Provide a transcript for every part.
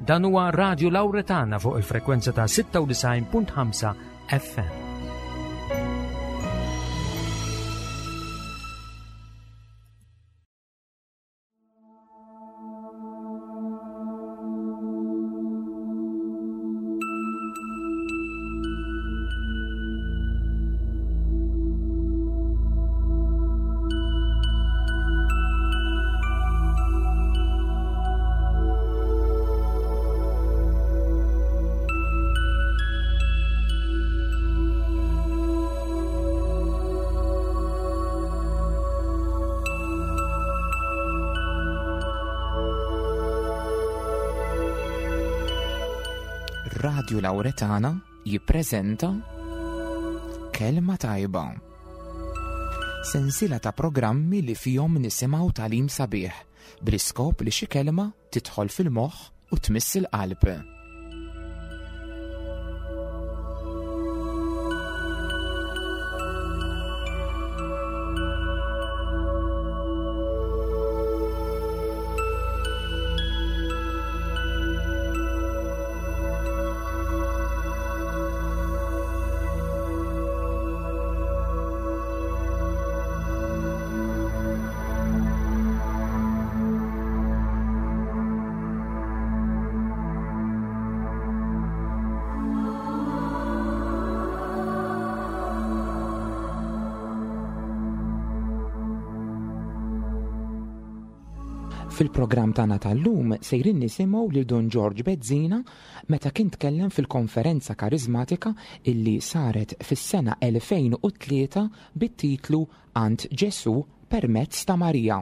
Dan huwa Radio Lauretana fuq il-frekwenza ta' 96.5 FM. Radio Lauretana jippreżenta Kelma Tajba. Sensiela ta' programmi li fihom nisimgħu tagħlim sabiħ bl-iskop li xi kelma tidħol fil-moħħ u tmiss il-qalb. Fil-programm tagħna tal-lum sejrin nisimgħu lil Dun Ġorġ Bezzina meta kien tkellem fil-konferenza karizmatika illi saret fis-sena 2003 bit-titlu Għand Ġesù permezz ta' Marija.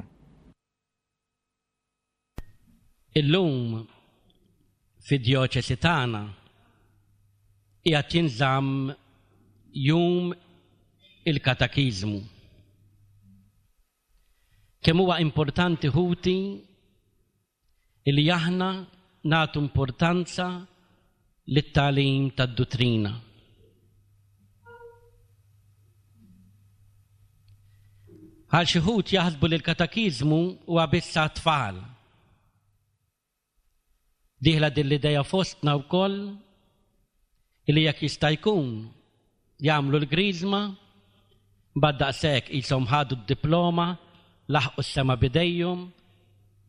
Illum fid-djoċesi tagħna qiegħed jinżamm jum il-katakiżmu. Kemm huwa importanti ħuti li aħna nagħtu importanza lit-tagħlim tad-duttrina. Għal xi wħud jaħsbu li l-katakiżmu huwa biss għat-tfal. Dieħla din l-idea fostna wkoll li jekk jista' jkun jagħmlu l-griżma, mbagħad daqshekk qishom ħadu d-diploma, laħqu s-sema b'idejhom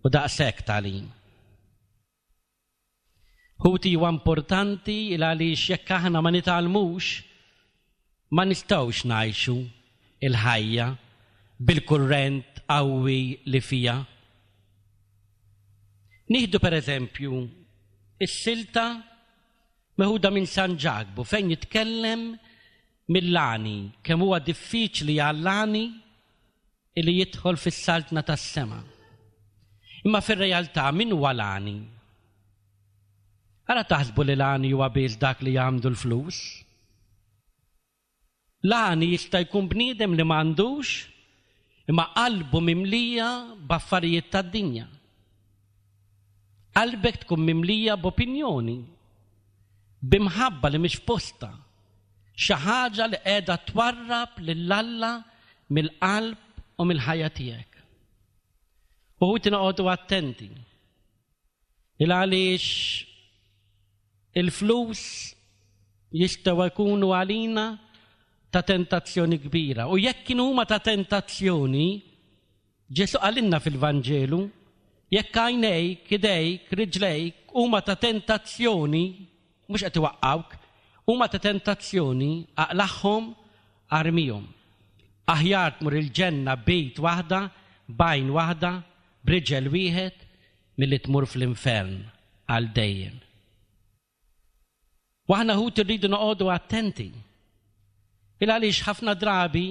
u daqshekk tagħlim. Ħuti huwa importanti il għaliex jekk aħna ma nitgħallmux ma nistgħux ngħixu il-ħajja bil-kurrent qawwi li fiha. Nieħdu pereżempju is-silta meħuda minn San Ġakbu fejn jitkellem mill-għani, kemm huwa diffiċli għall-għani li jidħol fis-saltna tas-sema. Imma fir-realtà min huwa l-għani? Ara taħsbu li l-għani huwa biss dak li għandu l-flus. L-għani jista' jkun bniedem li m'għandux imma qalbu mimlija b'affarijiet tad-dinja. Qalbek tkun mimlija b'opinjoni, b'imħabba li mhix f'postha, xi ħaġa li qiegħda twarrab lil Alla mill-qalb u mill-ħajja tiegħek. U ħuti noqogħdu attenti. Il għaliex il-flus jistgħu jkunu għalina ta' tentazzjoni kbira. U jekk kienu huma ta' tentazzjoni, Ġesù qalilna fil-Vanġelu, jekk għajnejk, idejk, riġlejk huma ta' tentazzjoni, mhux qed iwaqqgħuk, huma ta' tentazzjoni, aqlagħhom, armihom. Aħjar tmur il-ġenna b'id waħda, b'għajn waħda, b'riġel wieħed, milli tmur fl-infern għal dejjem. U aħna ħuti rridu noqogħdu attenti. Il għaliex ħafna drabi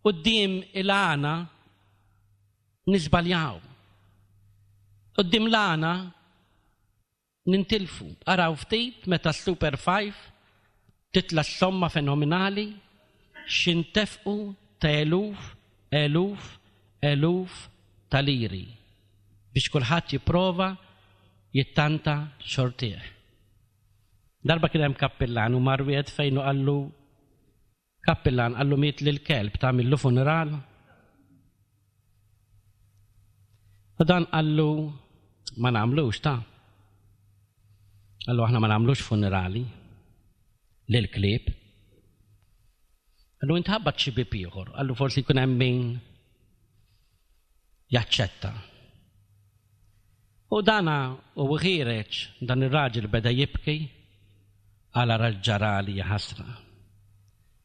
quddiem il-għana niżbaljaw. Quddiem l-għana nintilfu. Araw ftit meta s-Super 5 titla' s-somma fenomenali x'intefqu ta' eluf, eluf, eluf ta' liri biex kulħadd jipprova jittanta xortih. Darba kien hemm kappillan u mar wieħed fejn u qallu Kappillan qallu miet lil kelb tagħmillu funeral? U dan qallu ma nagħmlux ta. Qallu aħna ma nagħmlux funerali lill-klieb. Qallu int ħabbat xi bieb ieħor, qallu forsi jkun hemm min jaċċetta. U dana u ħiereġ dan ir-raġel beda jibki għal ara ġarali ħasra.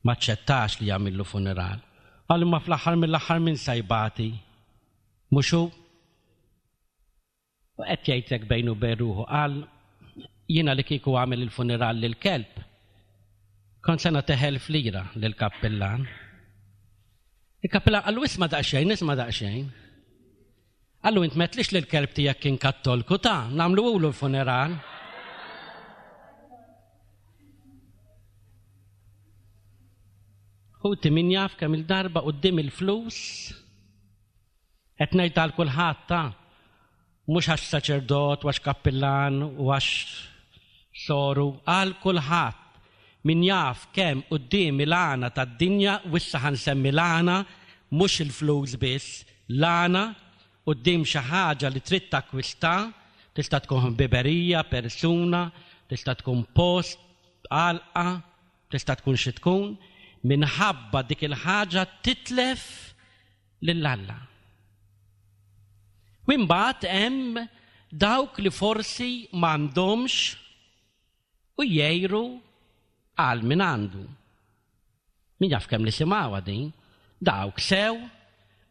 Ma ċċettax li jagħmillu funeral. Qal imma fl-aħħar mill-aħħar min sa jbati? Mhux hu? U qed jgħid hekk bejnu u bejn ruħu, qal, Jiena li kieku għamel il-funeral lill-kelb, kont se nagħtih 1000 lira lill-kappillan. Il-kappillan qallu isma' daqsxejn, isma' daqsxejn. Qallu int m'għedtlix li l-kelb tiegħek kien kattolku ta' nagħmluhulu l-funeral. Ħuti min jaf kemm il-darba quddiem il-flus Qed ngħid għal kulħadd ta' mhux għax saċerdot u għax kappillan u għax soru, għal kulħadd. Min jaf kemm quddiem il-għana tad-dinja, u issa ħa nsemmi l-għana, mhux il-flus biss, l-għana quddiem xi ħaġa li trid takkwista, tista' tkun ħbiberija, persuna, tista' tkun post, għalqa, tista' tkun xi tkun, minħabba dik il-ħaġa titlef lil Alla. U imbagħad hemm dawk li forsi m'għandhomx u jgħiru għal min għandu. Min jaf kemm nisimgħuha din, dawk sew,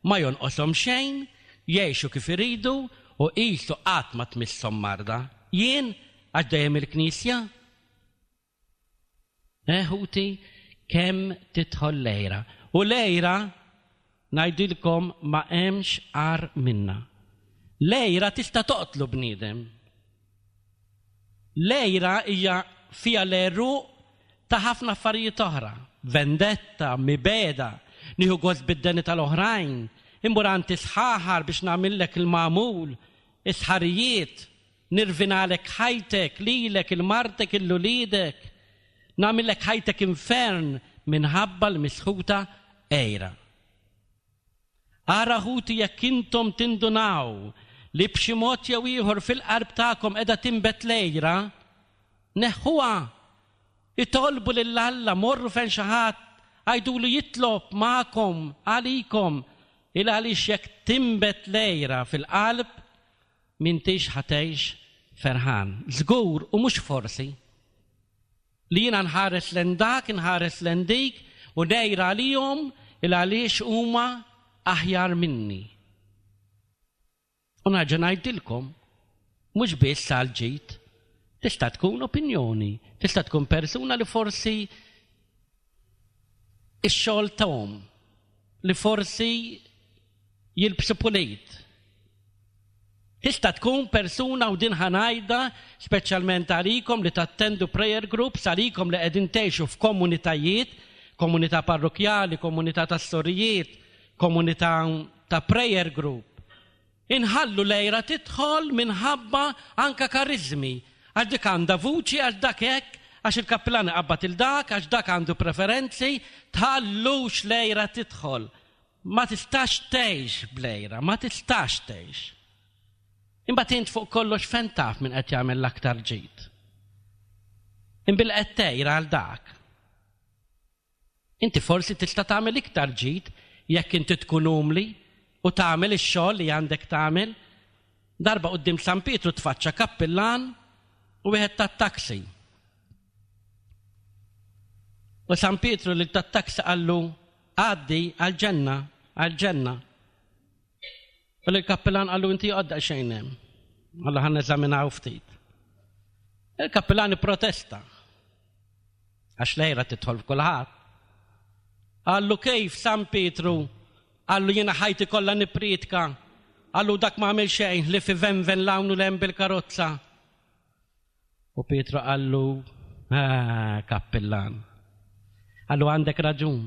ma jonqoshom xejn, jgħixu kif iridu u qisu qatt ma tmisshom marda. Jien għax dejjem il-knisja? Eh ħuti, kemm tidħol l-għira. U l-għira, ngħidilkom ma hemmx agħar minnha. L-għira tista' toqtlu bniedem. L-għira hija fiha l-għeruq ta' ħafna affarijiet oħra. Vendetta, mibegħda, nieħu gost bid-deni tal-oħrajn, immur għand is-sħaħar biex nagħmillek il-magħmul, is-sħarijiet, Nirvinalek ħajtek, lilek, 'il martek, 'il uliedek. Nagħmillek ħajtek infern minħabba l-misħuta għira. Ara ħuti jekk intom tindunaw li b'xi mod jew ieħor fil-qalb tagħkom qiegħda tinbet l-għira, neħħuha. Itolbu lil Alla, morru fejn xi ħadd, għidulu jitlob magħkom, għalikom, il għaliex jekk tinbet l-għira fil-qalb, M'intix ħa tgħix ferħan. Żgur u mhux forsi. Li jiena nħares lejn dak, inħares lejn dik u ngħir għalihom il għaliex huma aħjar minni. U nerġa' ngħidilkom, mhux biss għall-ġid, tista' tkun opinjoni, tista' tkun persuna li forsi ix-xogħol tagħhom, li forsi jilbsu pulit. Tista' tkun persuna u din ħa ngħidha speċjalment għalikom li tattendu prayer groups, għalikom li qegħdin tgħixu f'komunitajiet, komunità parrokjali, komunità tas-sorijiet, komunità ta' prayer group. Inħallu l-għira tidħol minħabba anka kariżmi, għax dik għandha vuċi, għax dak hekk, għax il-kappillan iqabbad 'il dak, għax dak għandu preferenzi, tħallux l-għira tidħol. Ma tistax tgħix bl-għira, ma tistax tgħix. Imbagħad int fuq kollox fejn taf min qed jagħmel l-aktar ġid. Imbil qed tgħir għal dak. Inti forsi tista' tagħmel iktar ġid jekk inti tkun umli u tagħmel ix-xogħol li għandek tagħmel. Darba quddiem San Pietru tfaċċa kappillan u wieħed tat-taxi. U San Pietru lil tat-taxi qallu għaddi għall-ġenna, għall-ġenna. U lill-kappillan qallu inti joqgħod daqsxejn hemm. Alla ħa neżaminaw ftit. Il-kappillan ipprotesta. Għax lejra tidħol f'kulħadd. Qallu kif San Pietru, qallu jiena ħajti kollha nippriedka, qallu dak ma għamel xejn li fi venven l-hawn u l-hemm bil-karozza. U Pietru qallu, ah, kappillan. Qallu għandek raġun.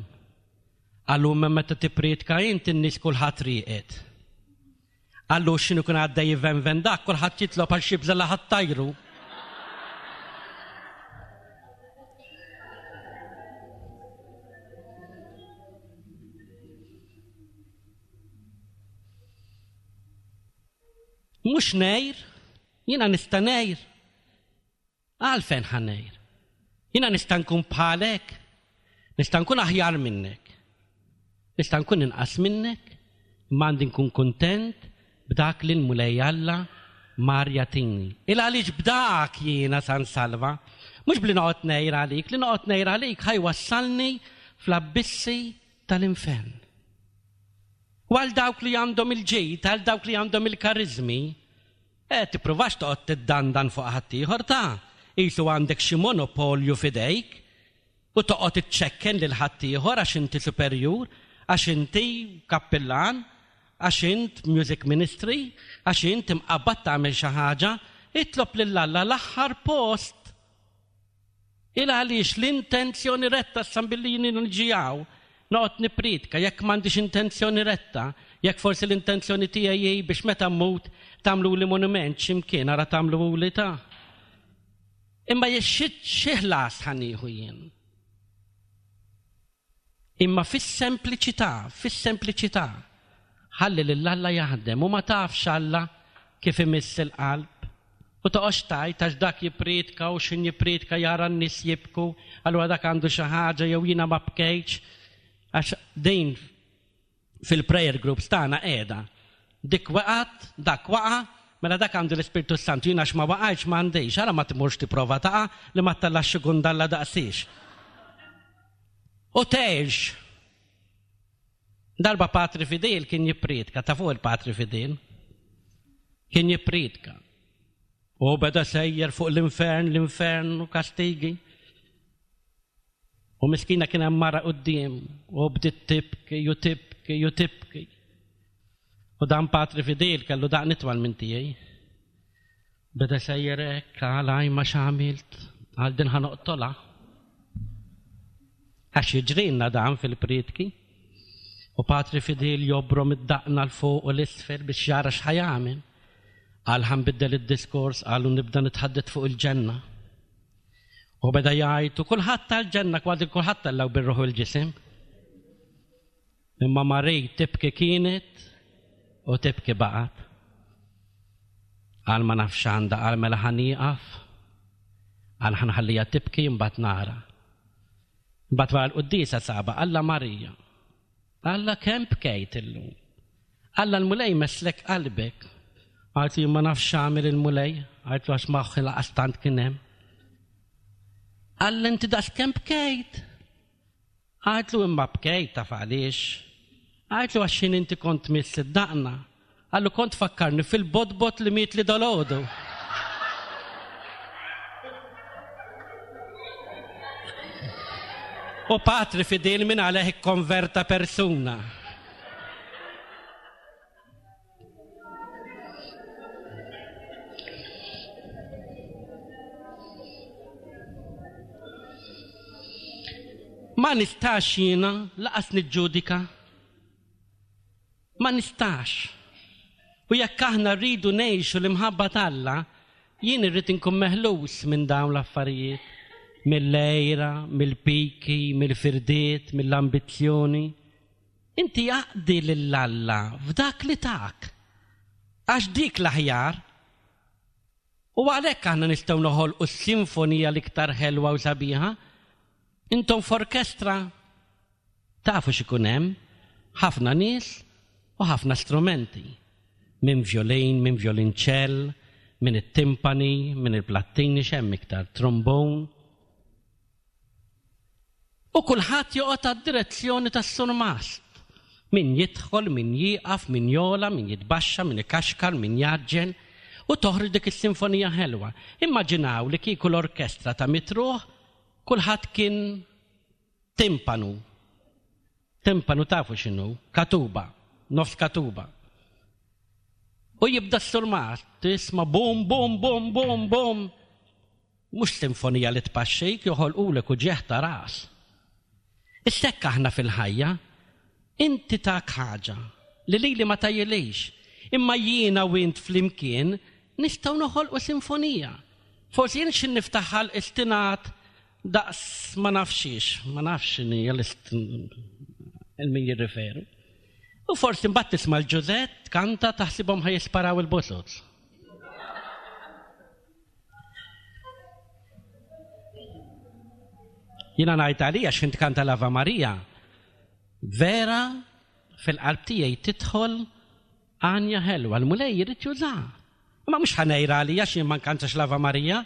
Qallu imma meta tippriedka int in-nies kulħadd rieqed. Qallu x'inhu kien għaddej jivenven dak kulħadd jitlob għal xi bża' li ħadd tajru. Mhux ngħir, jiena nista' ngħir. Għalfejn ħa ngħir? Jiena nista' nkun bħalek, nista' nkun aħjar minnek. Nista' nkun inqas minnek, imma għandi nkun kuntent b'dak li l-Mulej Alla mar jagħtini. Il għaliex b'dak jiena sa nsalva, mhux bli noqgħod ngħir għalik, li noqgħod ngħir għalik ħa jwassalni fl-abbissi tal-infern. U għal dawk li għandhom il-ġid, għal dawk li għandhom il-kariżmi, eh, tippruvax toqgħod tiddandan fuq ħaddieħor ta' qisu għandek xi monopolju f'idejk u toqgħod iċċekken lil ħaddieħor għax inti superjur, għax inti kappillan, għax int music ministry, għax int imqabbad tagħmel xi ħaġa, itlob lil Alla l-aħħar post. Il għaliex l-intenzjoni retta issa billi jien niġi hawn noqgħod nippriedka jekk m'għandix intenzjoni retta, jekk forsi l-intenzjoni tiegħi hi biex meta mmut tagħmluli monument xi mkien ara tagħmluhuli ta'. Imma xi ħlas ħa nieħu jien? Imma fis-sempliċità, fis-sempliċità, ħalli lil Alla jaħdem u ma tafx Alla kif imiss il-qalb. U toqgħodx tgħid għax dak jippriedka u x'ħin jippriedka jara n-nies jibku, allura dak għandu xi ħaġa jew jiena ma bkejtx. Għax din fil-prayer groups tagħna qiegħda. Dik waqgħet, dak waqa', mela dak għandu l-Ispirtu s-Santu, jien għax ma waqajtx ma għandix, ara ma tmurx tipprova taqa' li ma ttallax xi gundalla daqsiex. U tgħix. Darba Patri Fidil kien jippriedka, ta' fuq il-Patri Fidil. Kien jippriedka. U beda sejjer fuq l-infern, l-infern u kastigi. U miskina kien hemm mara quddiem u bdiet tibki u tibki u tibki. U dan Patri Fidil kellu daqn itwal minn tiegħi. Beda sejjer hekk, qal għaj ma x'għamilt, għal din ħa noqtolha. Għax jiġrilna dan fil-prietki. U Patri Fidil jobrom id-daqna 'l fuq u l-isfel biex jara x'ħa jagħmel. Qal ħa nbiddel id-diskors, qal u nibda nitħaddet fuq il-ġenna. U beda jgħid u kulħadd tal-ġenna kważi kulħadd tellaw bir-ruħ u l-ġisem. Imma Marie tibki kienet u tibki baqgħet. Qal ma nafx għandha, qal mela ħa nieqaf, qal ħa nħallija tibki imbagħad nara. Imbagħad wara l-quddiesa saba Alla Marija. Alla kemm bkejt illum. Alla l-Mulej messlek qalbek. Qaltlu jien ma nafx x'għamel il-Mulej, qaltlu għax moħħi laqas tant kien hemm. Alla inti daqs kemm bkejt. Qaltlu imma bkejt taf għaliex. Qaltlu għax x'ħin inti kont tmiss id-daqna. Qallu kont tfakkarni fil-botbot li mietli dalgħodu. U patri fidil minn għalih ikkonverta persuna. Ma nistax jiena laqas niġġudika. Ma nistax. U jekk aħna rridu ngħixu l-imħabba t'Alla, jien irrid inkun meħlus minn dawn l-affarijiet, mill-għira, mill-piki, mill-firdiet, mill-ambizzjoni. Inti aqdi lil Alla f'dak li tak, għax dik l-aħjar. U għalhekk aħna nistgħu noħolqu s-sinfonija l-iktar ħelwa u sabiħa. Intom f'orkestra tafu x'ikun hemm, ħafna nies u ħafna strumenti. Minn vjolin, minn vjolinċell, minn it-timpani, minn il-plattini x'hemm iktar, trombone. U kulħadd joqgħod għad-direzzjoni tas-surmast. Min jidħol, min jieqaf, min jogħla, min jitbaxxa, min ikaxkar, min jgħaġġel, u toħroġ dik is-sinfonija ħelwa. Immaġinaw li kieku l-orkestra ta' Mitruħ kulħadd kien timpanu. Timpanu tafu x'inhu, katuba, nofs katuba. U jibda s-surmast, tisma' bum, bum, bum, bum, bum. Mhux sinfonija li tpaxxik, joħolqulek uġigħ ta' ras. Issa hekk aħna fil-ħajja, inti tak ħaġa li lili ma tgħajjilix, imma jiena u int flimkien nistgħu noħolqu sinfonija. Forsi jien xi niftaħ ħalqi stinat daqs ma nafx xiex, ma nafx x'inhi il min jirriferu. U forsi mbagħad tisma' l-Ġużett tkanta taħsibhom ħa jisparaw il-bozoz. Jiena ngħid għalija x'int kanta l-Ava Maria, vera fil-qalb tiegħi tidħol għanja ħelwa, l-Mulej jrid jużaha. Imma mhux ħa ngħir għalija x'jien ma nkantax l-Ava Maria,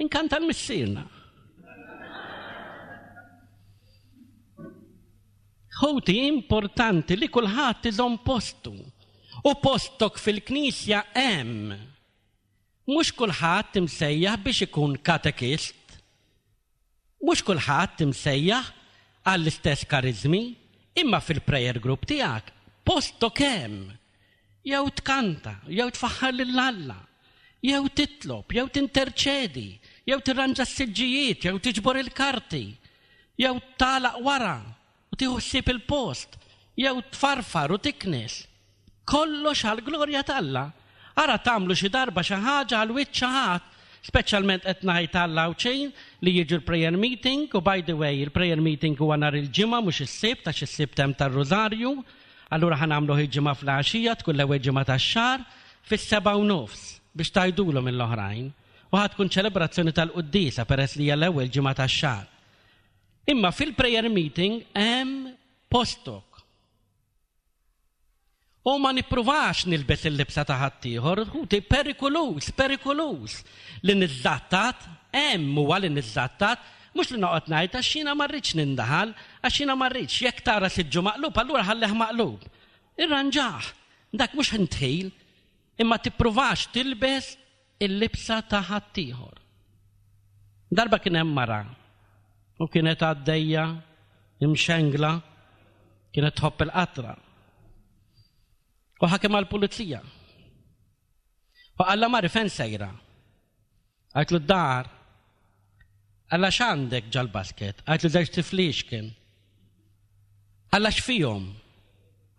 inkanta l-Missierna. Ħuti, importanti li kulħadd iżomm postu. U postok fil-Knisja hemm. Mhux kulħadd imsejjaħ biex ikun katekist. Mhux kulħadd imsejjaħ għall-istess kariżmi, imma fil-prayer group tiegħek postok hemm. Jew tkanta, jew tfaħħar lil Alla, jew titlob, jew tinterċedi, jew tirranġa s-siġġijiet, jew tiġbor il-karti, jew tagħlaq wara u tieħu ħsieb il-post, jew tfarfar u tiknes. Kollox għall-glorja t'Alla. Ara tagħmlu xi darba xi ħaġa għal wiċċ xi ħadd, speċjalment qed ngħid għall-Għawdxin li jiġu l-prayer meeting, u by the way, il-prayer meeting huwa nhar il-Ġimgħa mhux is-Sibt għax is-Sibt hemm tar-Rużarju, allura ħa nagħmluh il-Ġimgħa fl-għaxija tkun l-ewwel ġimgħa tax-xahar fis-7:30 biex tgħidulhom lill-oħrajn u ħa tkun ċelebrazzjoni tal-quddiesa peress li hija l-ewwel ġimgħa tax-xahar. Imma fil-prayer meeting hemm postok. U ma nippruvax nilbes il-libsa ta' ħaddieħor, ħuti perikoluż, perikoluż li niżżattat, hemm huwa li niżżattat, mhux li noqgħod ngħid għax jiena ma rridx nindaħal, għax jiena ma rridx, jekk tara siġġu maqlub allura ħallih maqlub. Irranġah, dak mhux intħil, imma tippruvax tilbes il-libsa ta' ħaddieħor. Darba kien hemm mara u kienet għaddejja imxengla, kienet tħobb il-qatra. U ħakem għall-pulizija. U qalla mari fejn sejra? Għajtlu d-dar. Qalla x'għandek ġal-basket? Għajtlu żewġ tiflix kien. Qalla x'fihom?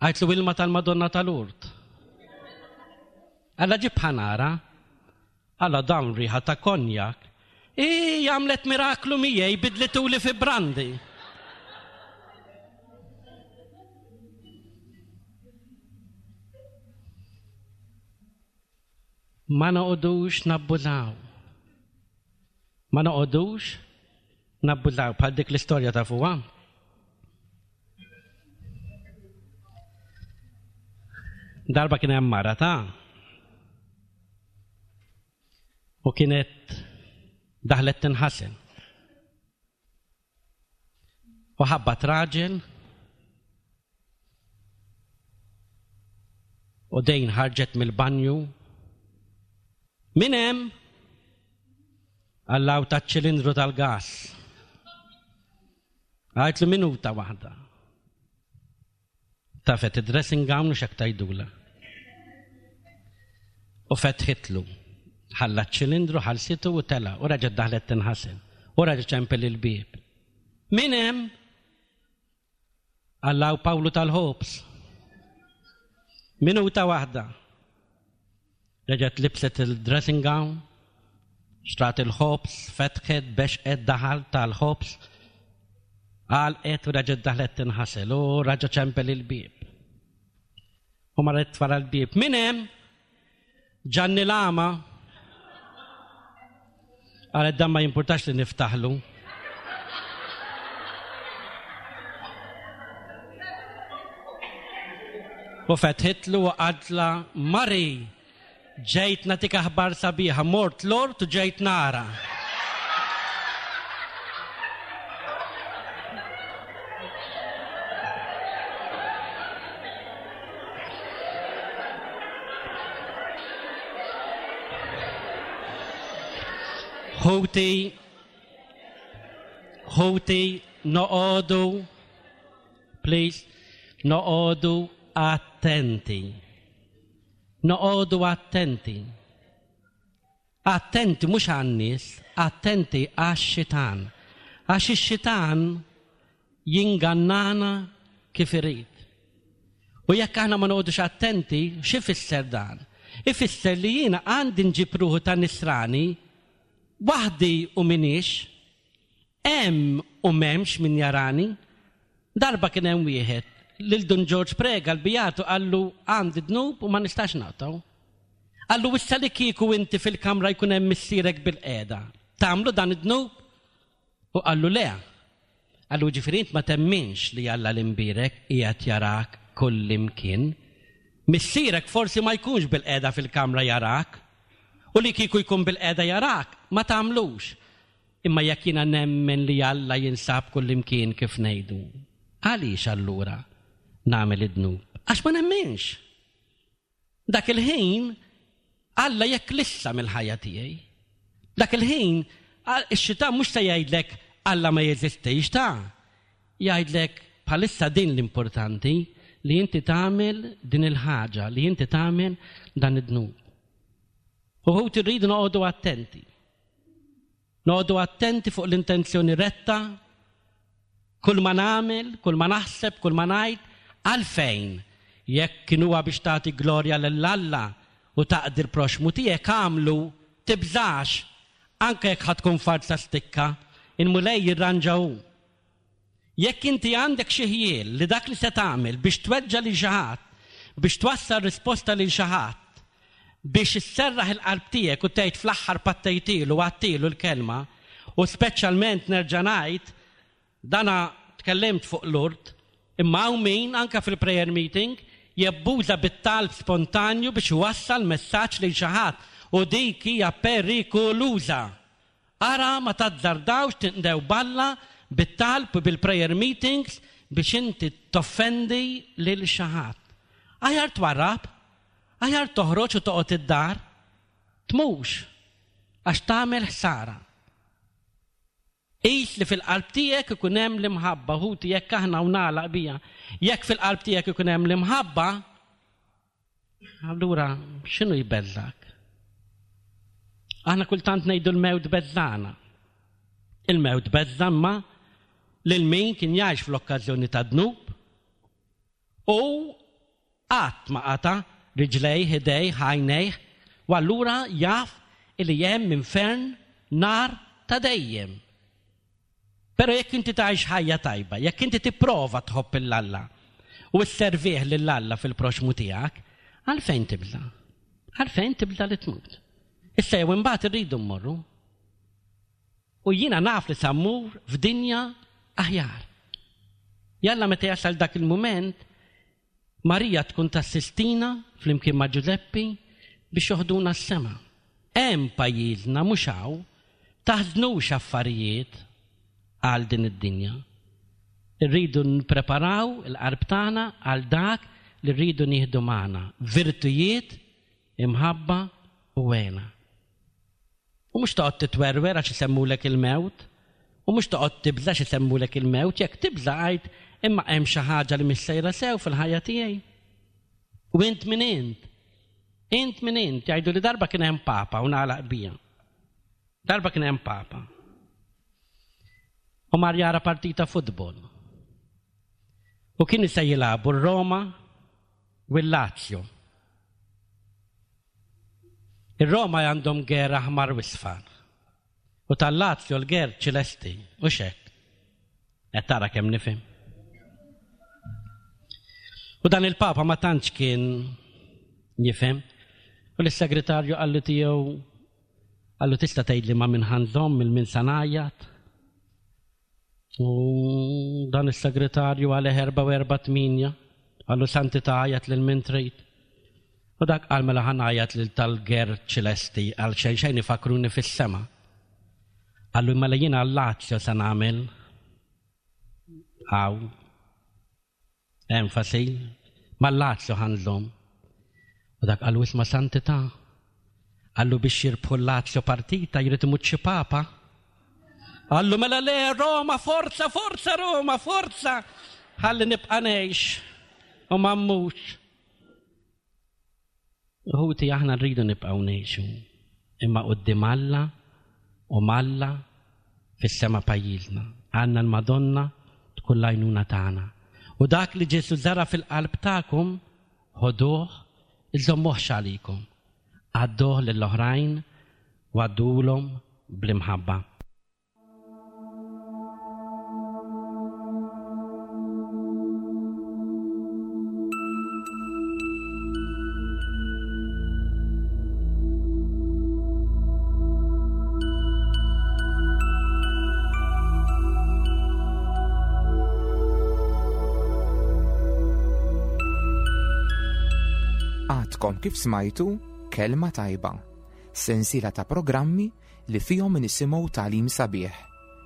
Għajtlu ilma tal-Madonna tal-Urt. Alla ġib ħa nara. Alla dawn riħa ta' konjak. Ii, għamlet miraklu miegħi bidlituli fi brandi. Ma noqogħdux nabbużaw. Ma noqogħdux nabbużaw bħal dik l-istorja ta' fuqha. Darba kien hemm mara ta' u kienet daħlet tinħasel. U ħabbat raġel u dejn ħarġet mill-banju. Min hemm? Allaw taċ-ċilindru tal-gas. Għajtlu minuta waħda. Tafet id-dressing gown u xek tajdula. U fetħitlu. Ħalla ċ-ċilindru, ħalsitu u tela. U raġet daħlet tinħasel. U raġet ċempel il-bieb. Min hemm? Allaw Pawlu tal-ħobż. Minuta waħda. Reġgħet libset il-dressing gown, xtrat il-ħobż, fetħet, bexqet, daħal tal-ħobż, għalqet u reġgħet daħlet tinħasel u raġa' ċempel il-bieb. U marret wara l-bieb. Min hemm? Ġanni l-għama. Qalet dan ma jimpurtax li niftaħlu. U fetħitlu u qadla Mari ġejt natik aħbar sabiħa, mort lort u ġejt nara. Ħuti, ħuti, noqogħdu, please, noqogħdu attenti. Noqogħdu attenti. Attenti mhux għan-nies, attenti għax-xitan. Għax ix-xitan jingannana kif irid. U jekk aħna ma noqogħdux attenti, x'ifisser dan? Ifisser li jiena għandi nġib ruħu ta' nisrani waħdi u m'iniex, hemm u m'hemmx min jarani. Darba kien hemm wieħed lil Dun Ġorġ Prega l-Bijatu qallu għandi dnub u ma nistax naqtgħu. Qallu issa li kieku inti fil-kamra jkun hemm missierek bilqiegħda, tagħmlu dan id-dnub? U qallu le. Qallu ġifieri int ma temminx li Alla l-Imbierek qiegħed jarak kullimkien. Missierek forsi ma jkunx bilqiegħda fil-kamra jarak. U li kieku jkun bilqiegħda jarak, ma tagħmlux. Imma jekk jiena nemmen li Alla jinsab kullimkien kif ngħidu, għaliex allura nagħmel id-dnub? Għax ma nemminx. Dak il-ħin Alla jeklissa mill-ħajja tiegħi. Dak il-ħin ix-xitan mhux se jgħidlek Alla ma jeżistix ta' jgħidlek bħalissa din l-importanti li inti tagħmel din il-ħaġa, li inti tagħmel dan id-dnub. U ħuti rridu noqogħdu attenti. Noqogħdu attenti fuq l-intenzjoni retta, kull ma nagħmel, kull ma naħseb, kull ma ngħid, għalfejn jekk kien huwa biex tagħti glorja lil Alla u taqdi l-proxxmu tiegħek agħmlu, tibżax, anke jekk ħa tkun farsa stikka, il-Mulej jirranġa hu. Jekk inti għandek xi ħjiel li dak li se tagħmel biex tweġġa' lil xi ħadd, biex twassal risposta lil xi ħadd, biex isserraħ il-qalb tiegħek u tgħid fl-aħħar pattejtilu u għadtilu l-kelma, u speċjalment nerġa' ngħid, dana tkellimt fuq l-urt, imma hawn min, anke fil-prayer meeting, jabbuża bit-talb spontanju biex iwassal messaġġ lil xi ħadd, u dik hija perikoluża! Ara ma tazzardawx tinqdew b'Alla bit-talb u bil-prayer meetings biex inti toffendi lil xi ħadd. Aħjar twarrab, aħjar toħroġ u toqgħod id-dar. Tmux, għax tagħmel ħsara. Qis li fil-qalb tiegħek ikun hemm l-imħabba, ħuti jekk aħna u nagħlaq bija, jekk fil-qalb tiegħek ikun hemm l-imħabba, Allura, x'inhu jbeżżgħek? Aħna kultant ngħidu l-mewt beżżagħna. Il-mewt beżża' imma lil min kien jgħix fl-okkażjoni ta' dnub u qatt ma qata' riġlejh, idejh, għajnejh, u allura jaf li hemm infern nar ta' dejjem. Però jekk inti tgħix ħajja tajba, jekk inti tipprova tħobb 'il Alla u sservih lil Alla fil-proxxmu tiegħek, għalfejn tibża'? Għalfejn tibża' li tmut? Issa jew imbagħad irridu mmorru. U jiena naf li sa mmur f'dinja aħjar. Jalla meta jasal dak il-mument, Marija tkun tassistina flimkien ma' Ġużeppi biex joħduna s-sema. Hemm pajjiżna mhux hawn, taħżnux affarijiet għal din id-dinja. Irridu nippreparaw il-qalb tagħna għal dak li rridu nieħdu magħna, virtujiet, imħabba u hena. U mhux toqgħod titwerwer għax isemmulek il-mewt, u mhux toqgħod tibża' għax isemmulek il-mewt, jekk tibża' għid imma hemm xi ħaġa li mhix sejra sew fil-ħajja tiegħi. U int min int? Int min int? Jgħidu li darba kien hemm papa u nagħlaq bija. Darba kien hemm papa. U mar jara partita futbol. U kien se jilagħbu r-Roma u l-Lazio. Ir-Roma għandhom ger aħmar u isfar. U tal-Lazio l-ger ċilesti, u xek. Qed tara kemm nifhem. U dan il-Papa ma tantx kien jifhem. U l-segretarju qallu tiegħu qallu tista' tgħidli ma' min ħanżomm il min sa ngħajjat. U dan is-segretarju għalih 448 qallu Santità għajat lil min trid. U dak qal mela ħa ngħajjat lil tal-ger ċilesti għal xejn xejn ifakruni fis-sema. Qallu mela jiena għal-Lazio se nagħmel hawn. Enfasi, mal-Lazio ħa nżomm. U dak qallu isma' Santità. Qallu biex jirbħu l-Lazio partita jrid imut xi papa. Qallu mela le Roma, forza, forza Roma, forza. Ħalli nibqa' ngħix u ma mmutx. Ħuti aħna rridu nibqgħu ngħixu, imma quddiem Alla u m'Alla fis-sema pajjiżna. Għandna l-Madonna tkun l-għajnuna tagħna. U dak li Ġesù żara' fil-qalb tagħkom, ħoduh, iżommuhx għalikom. Għadduh lill-oħrajn u għadduhulhom bl-imħabba. Għadkom kif smajtu Kelma Tajba, sensiela ta' programmi li fihom nisimgħu tagħlim sabiħ,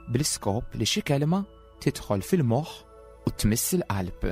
bl-iskop li xi kelma tidħol fil-moħħ u tmiss il-qalb.